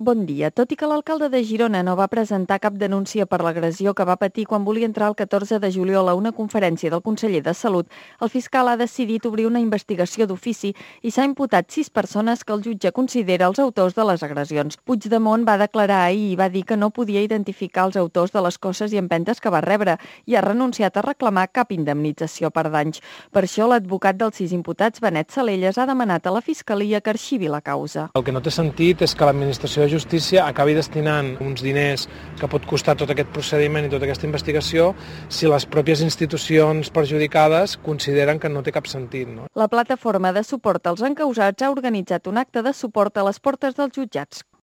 Bon dia. Tot i que l'alcalde de Girona no va presentar cap denúncia per l'agressió que va patir quan volia entrar el 14 de juliol a una conferència del conseller de Salut, el fiscal ha decidit obrir una investigació d'ofici i s'ha imputat 6 persones que el jutge considera els autors de les agressions. Puigdemont va declarar ahir i va dir que no podia identificar els autors de les cosses i empentes que va rebre i ha renunciat a reclamar cap indemnització per danys. Per això, l'advocat dels 6 imputats, Benet Salelles, ha demanat a la Fiscalia que arxivi la causa. El que no té sentit és que l'administració de Justícia acabi destinant uns diners que pot costar tot aquest procediment i tota aquesta investigació si les pròpies institucions perjudicades consideren que no té cap sentit. No? La plataforma de suport als encausats ha organitzat un acte de suport a les portes dels jutjats.